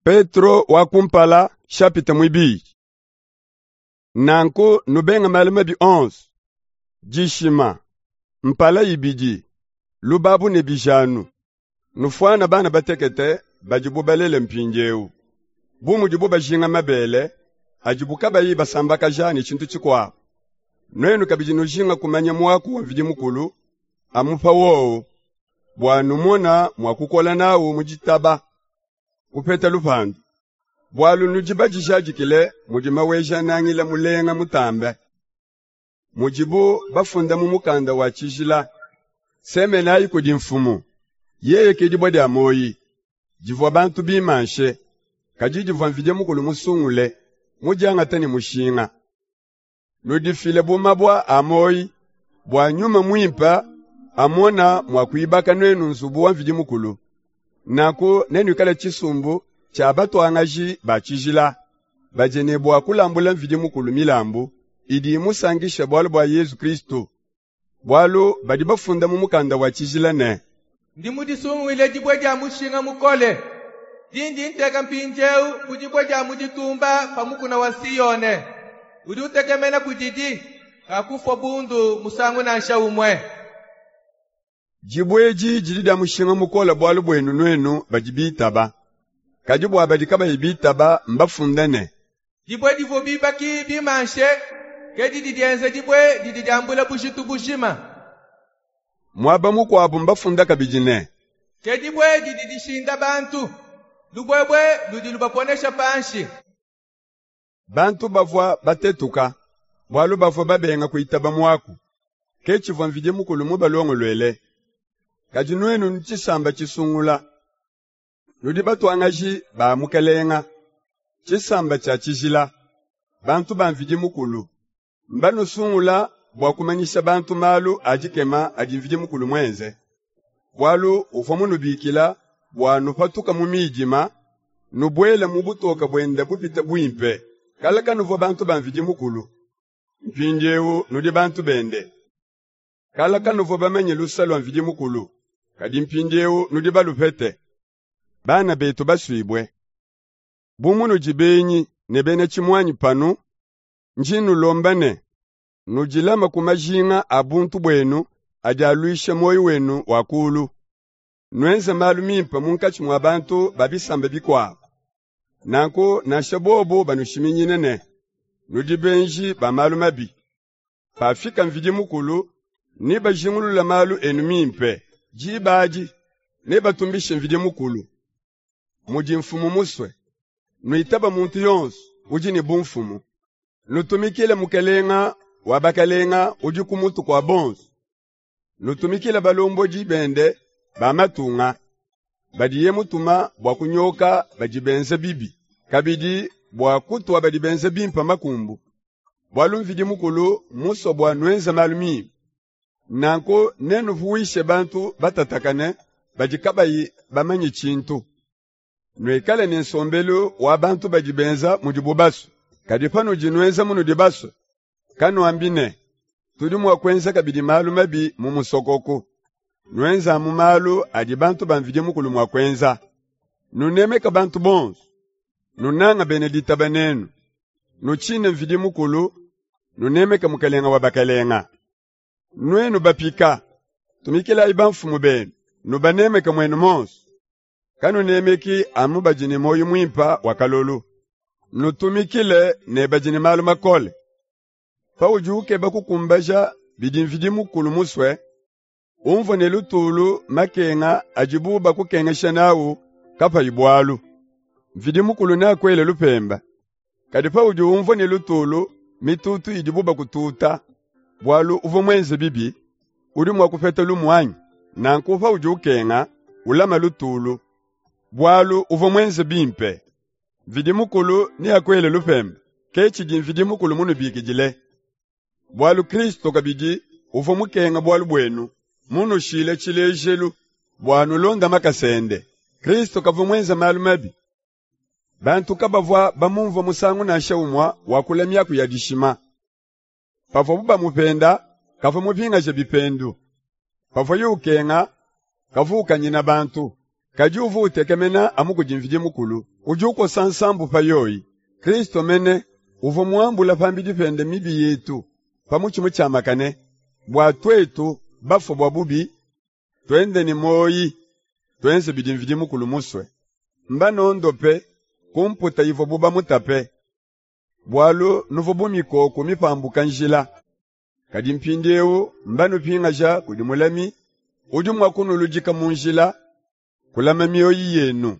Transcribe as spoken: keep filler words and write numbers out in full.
Petro wa kumpala chapitre muibidi. Nanku nubenga malu mabi onso, dishima, mpala ibidi, lubabu ne bijanu. Nufuana bana batekete badibu balele mpindieu, bu mudibu bajinga mabele adibu kabayi basambakaja ne tshintu tshikuabu. Nuenu kabidi nujinga kumanya muaku wa Mvidi Mukulu amupa wowu, bua numona mua kukola nawu mu ditaba, kupeta lupandu. Bualu nudi badijadikile mudi Maweja-Nangila mulenga mutambe. Mudibu bafunda mu mukanda wa tshijila, semenayi kudi Mfumu, yeye ke dibue dia muoyi, divua bantu bimanshe, kadi divua Mvidi Mukulu musungule, mudiangate ne mushinga. Nudifile bu mabue a muoyi, bua Nyuma Muimpe amona mua kuibaka nuenu nzubu wa Mvidi Mukulu. Nanku nenuikale tshisumbu tshia batuangaji ba tshijila, badi ne bua kulambula Mvidi Mukulu milambu idi imusankisha bualu bua Yezu Kristu. Bualu badi bafunda mu mukanda wa tshijila ne, Ndi mudisunguile dibue dia mushinga mukole, dindi nteka mpindieu bu dibue dia mu ditumba pa mukuna wa Siyone. Udi utekemena kudidi, kakufua bundu musangu nansha umue. Dibue edi didi dia mushinga mukole bualu buenu nuenu badi bitaba. Kadi bua badi kabayi bitaba mbafunda ne, Dibue divua bibaki bimanshe, ke didi dienza dibue didi diambula bujitu bujima. Muaba mukuabu mbafunda kabidi ne, Ke dibue didi dishinda bantu, lubuebue ludi lubaponesha panshi. Bantu bavua batetuka, bualu bavua babenga kuitaba muaku. Ke tshivua Mvidi Mukulu mubalongoluele. Kadi nuenu nudi tshisamba tshisungula, nudi batuangaji ba Mukalenga, tshisamba tshia tshijila, bantu ba Mvidi Mukulu. Mbanusungula bua kumanyisha bantu malu a dikema adi Mvidi Mukulu muenze. Bualu uvua munubikila bua nupatuka mu midima, nubuele mu butoka buende bupite buimpe. Kale kanuvua bantu ba Mvidi Mukulu, mpindieu nudi bantu bende. Kale kanuvua bamanye luse lua Mvidi Mukulu, kadi mpindieu nudi balupete. Bana betu basuibue, bu munudi benyi ne bena tshimuanyi panu, ndi nnulomba ne, nudilame ku majinga a buntu buenu adi aluisha muoyo wenu wa kulu. Nuenze malu mimpe munkatshi mua bantu ba bisamba bikuabu. Nanku nansha bobu banushiminyine ne, nudi benji ba malu mabi, pafika Mvidi Mukulu, nebajingulule malu enu mimpe. Diba adi nebatumbishe Mvidi Mukulu. Mudi Mfumu musue, nuitaba muntu yonso udi ne bumfumu. Nutumikile Mukalenga wa bakalenga udi ku mutu kua bonso. Nutumikile balombodi bende ba matunga, badiye mutuma bua kunyoka badi benza bibi, kabidi bua kutua badi benza bimpe makumbu. Bualu Mvidi Mukulu musue bua nuenze malu mimpe. Nanku nenuvuishe bantu batatakane badi kabayi bamanye tshintu. Nuikale ne nsombelu wa bantu badi benza mudibu basue. Kadi panudi nuenza munudi basue, kanuambi ne, tudi mua kuenza kabidi malu mabi mu musokoku. Nuenza mu malu adi bantu ba Mvidi Mukulu mua kuenza. Nunemeka bantu bonso, nunanga bena ditaba nenu, nutshine Mvidi Mukulu, nunemeka Mukalenga wa bakalenga. Nuenu bapika, tumikilayi bamfumu benu, nubanemeke muenu monso. Kanunemeki amu badi ne muoyo muimpe wa kalolu. Nutumikile ne badi ne malu makole. Paudi ukeba kukumbaja bidi Mvidi Mukulu musue, umvue ne lutulu makenga adibu bakukengesha nawu kapayi bualu. Mvidi Mukulu neakuele lupemba. Kadi paudi umvua ne lutulu mitutu idibu bakututa, bualu uvua muenze bibi, udi mua kupeta lumu anyi? Nanku paudi ukenga, ulama lutulu, bualu uvua muenze bimpe. Mvidi Mukulu neakuele lupemba. Ke tshidi Mvidi Mukulu munubikidile. Bualu Kristo kabidi uvua mukenga bualu buenu, munushile tshilejelu bua nulonda makasa ende. Kristo kavua muenze malu mabi. Bantu kabavua bamumvua musangu nansha umue wakula miaku ya dishima. Pavuabu bamupenda, kavua mupingaje bipendu. Pavuaye ukenga, kavua ukanyina bantu, Kadi uvua utekemena amu kudi Mvidi Mukulu, udi ukosa nsambu pa yoyi. Kristu mene uvua muambule pambidi pende mibi yetu pa mutshi mutshiamakane, bua tuetu bafue bua bubi, tuende ne muoyi, tuenze bidi Mvidi Mukulu musue. Mbanondope ku mputa ivuabu bamutape, bualu nuvua bu mikoko mipambuka njila. Kadi mpindiewu mbanupingaja kudi mulami udi mua kunuludika mu njila, kulama mioyi yenu.